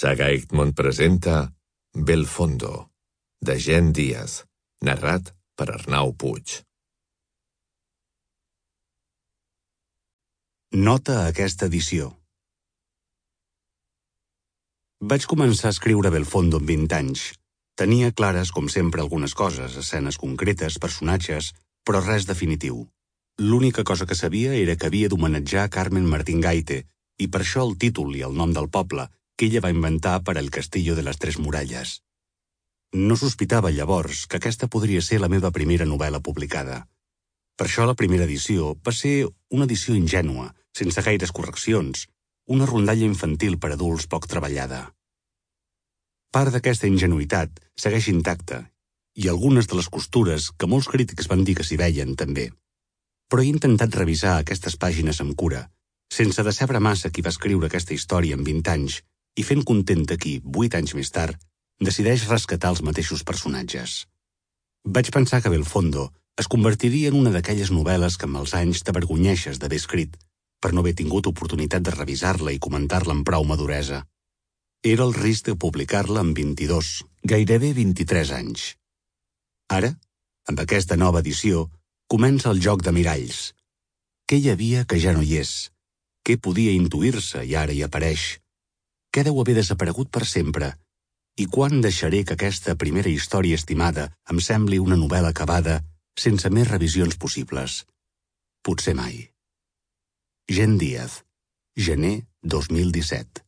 Saga Egmont presenta Belfondo, de Gen Díaz, narrat per Arnau Puig. Nota a aquesta edició. Vaig començar a escriure Belfondo amb 20 anys. Tenia clares, com sempre, algunes coses, escenes concretes, personatges, però res definitiu. L'única cosa que sabia era que havia d'homenatjar Carmen Martín Gaite, i per això el títol i el nom del poble, que ella va inventar per al Castillo de les Tres Muralles. No sospitava llavors que aquesta podria ser la meva primera novel·la publicada. Per això la primera edició va ser una edició ingènua, sense gaires correccions, una rondalla infantil per adults poc treballada. Part d'aquesta ingenuïtat segueix intacta, i algunes de les costures que molts crítics van dir que s'hi veien també. Però he intentat revisar aquestes pàgines amb cura, sense decebre massa qui va escriure aquesta història amb 20 anys i fent content de qui, 8 anys més tard, decideix rescatar els mateixos personatges. Vaig pensar que Belfondo es convertiria en una d'aquelles novel·les que amb els anys t'avergonyeixes d'haver escrit, per no haver tingut oportunitat de revisar-la i comentar-la amb prou maduresa. Era el risc de publicar-la amb 22, gairebé 23 anys. Ara, amb aquesta nova edició, comença el joc de miralls. Què hi havia que ja no hi és? Què podia intuir-se i ara hi apareix? Què deu haver desaparegut per sempre? I quan deixaré que aquesta primera història estimada em sembli una novel·la acabada sense més revisions possibles? Potser mai. Gen Díaz, gener 2017.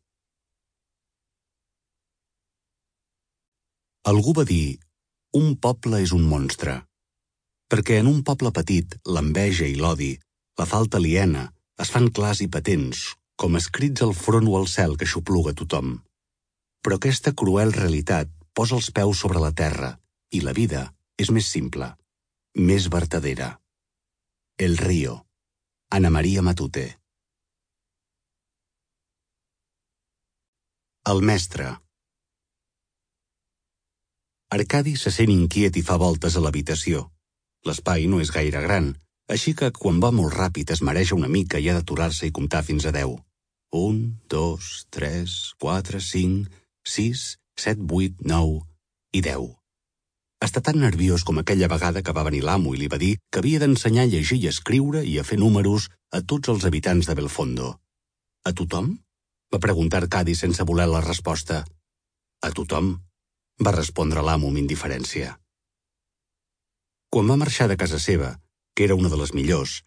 Algú va dir, un poble és un monstre, perquè en un poble petit l'enveja i l'odi, la falta aliena, es fan clars i patents, com escrits al front o al cel que xupluga tothom. Però aquesta cruel realitat posa els peus sobre la terra i la vida és més simple, més vertadera. El Río, Ana Maria Matute. El mestre. Arcadi se sent inquiet i fa voltes a l'habitació. L'espai no és gaire gran, així que quan va molt ràpid es mareja una mica i ha d'aturar-se i comptar fins a 10. 1, 2, 3, 4, 5, 6, 7, 8, 9 i 10. Està tan nerviós com aquella vegada que va venir l'amo i li va dir que havia d'ensenyar a llegir i escriure i a fer números a tots els habitants de Belfondo. A tothom? Va preguntar Arcadi sense voler la resposta. A tothom, va respondre l'amo amb indiferència. Quan va marxar de casa seva, que era una de les millors,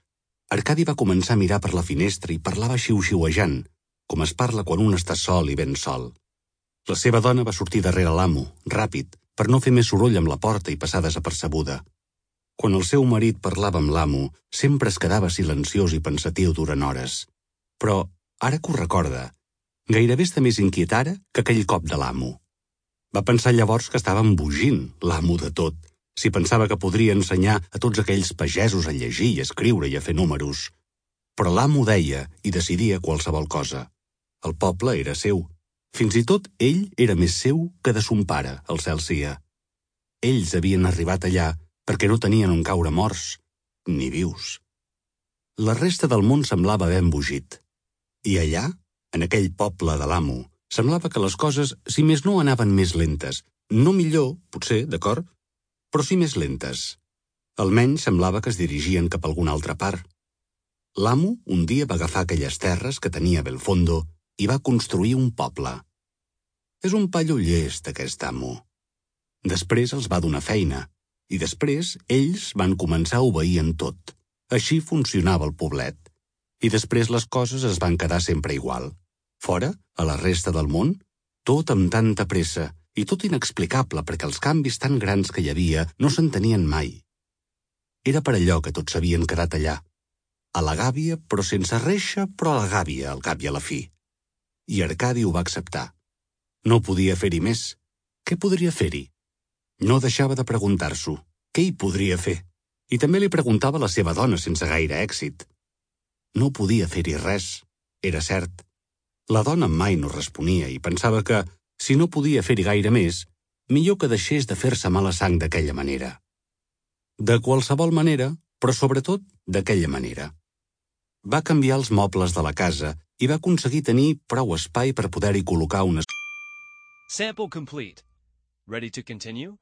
Arcadi va començar a mirar per la finestra i parlava xiu-xiuejant, com es parla quan un està sol i ben sol. La seva dona va sortir darrere l'amo, ràpid, per no fer més soroll amb la porta i passar desapercebuda. Quan el seu marit parlava amb l'amo, sempre es quedava silenciós i pensatiu durant hores. Però, ara que ho recorda, gairebé està més inquiet ara que aquell cop de l'amo. Va pensar llavors que estava embogint l'amo de tot, si pensava que podria ensenyar a tots aquells pagesos a llegir i escriure i a fer números. Però l'amo deia i decidia qualsevol cosa. El poble era seu. Fins i tot ell era més seu que de son pare, el cel sia. Ells havien arribat allà perquè no tenien on caure morts, ni vius. La resta del món semblava haver embogit. I allà, en aquell poble de l'amo, semblava que les coses, si més no, anaven més lentes. No millor, potser, d'acord, però sí més lentes. Almenys semblava que es dirigien cap a alguna altra part. L'amo un dia va agafar aquelles terres que tenia a Belfondo i va construir un poble. És un paio llest, aquest amo. Després els va donar feina, i després ells van començar a obeir en tot. Així funcionava el poblet. I després les coses es van quedar sempre igual. Fora, a la resta del món, tot amb tanta pressa i tot inexplicable perquè els canvis tan grans que hi havia no s'entenien mai. Era per allò que tots s'havien quedat allà. A la gàbia, però sense reixa, però a la gàbia, al cap i a la fi. I Arcadi ho va acceptar. No podia fer-hi més. Què podria fer-hi? No deixava de preguntar-s'ho. Què hi podria fer? I també li preguntava a la seva dona sense gaire èxit. No podia fer-hi res, era cert. La dona mai no responia i pensava que, si no podia fer-hi gaire més, millor que deixés de fer-se mala sang d'aquella manera. De qualsevol manera, però sobretot d'aquella manera. Va canviar els mobles de la casa i va aconseguir tenir prou espai per poder-hi col·locar unes... Sample complete. Ready to continue?